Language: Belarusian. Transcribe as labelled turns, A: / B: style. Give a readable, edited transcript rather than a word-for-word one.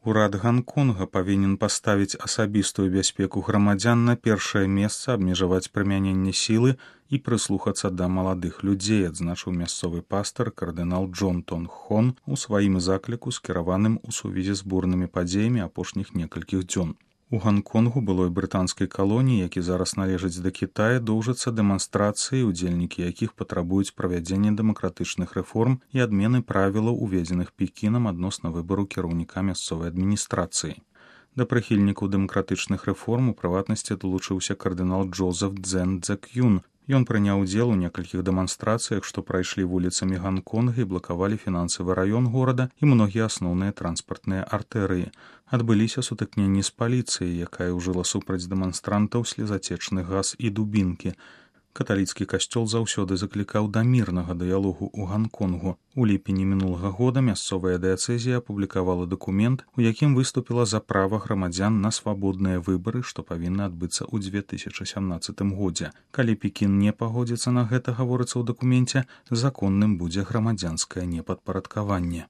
A: Урад Ганконга павінен паставіць асабістую бяспеку грамадзян на першае месца, абмежаваць прымяненне сілы і прыслухацца да маладых людзей, адзначыў мясцовы пастар кардынал Джон Тон Хон у сваім закліку, скіраваным у сувязі з бурнымі падзеямі апошніх некалькіх дзён. У Ганконгу, былой брытанскай калоніі, які зараз належыць да Кітая, доўжацца дэманстрацыі, удзельнікі якіх патрабуюць правядзення дэмакратычных рэформ і адмены правілаў, уведзеных Пекінам адносна выбару кіраўніка мясцовай адміністрацыі. Да прыхільнікаў дэмакратычных рэформ у прыватнасці далучыўся кардынал Джозеф Цзэн Цзэк'юн. Ён прыняў удзел у некалькіх дэманстрацыях, што прайшлі вуліцамі Ганконга і блакавалі фінансавы раён горада і многія асноўныя транспартныя артэрыі. Адбыліся сутыкненні з паліцыяй, якая ўжыла супраць дэманстрантаў слезацечны газ і дубінкі. Каталіцкі касцёл заўсёды заклікаў да мірнага дыялогу ў Ганконгу. У ліпені мінулага года мясцовая дыяцэзія апублікавала дакумент, у якім выступіла за права грамадзян на свабодныя выбары, што павінны адбыцца ў 2017 годзе. Калі Пекін не пагодзіцца на гэта, гаворыцца ў дакуменце, законным будзе грамадзянскае непадпарадкаванне.